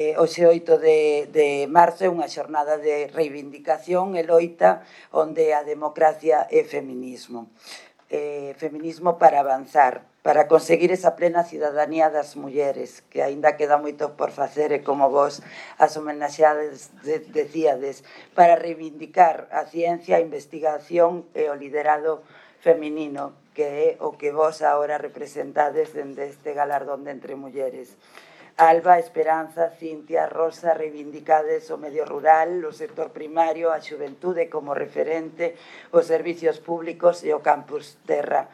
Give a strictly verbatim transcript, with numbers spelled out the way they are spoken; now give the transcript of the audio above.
Hoxe oito de marzo é unha xornada de reivindicación e loita onde a democracia é feminismo. Feminismo para avanzar, para conseguir esa plena cidadanía das mulleres, que aínda queda moito por facer e como vos as homenaxeades decíades, para reivindicar a ciencia, a investigación e o liderado feminino, que é o que vos agora representades dende este galardón de Entre Mulleres. Alba, Esperanza, Cintia, Rosa, reivindicades o medio rural, o sector primario, a xuventude como referente, os servicios públicos e o campus Terra.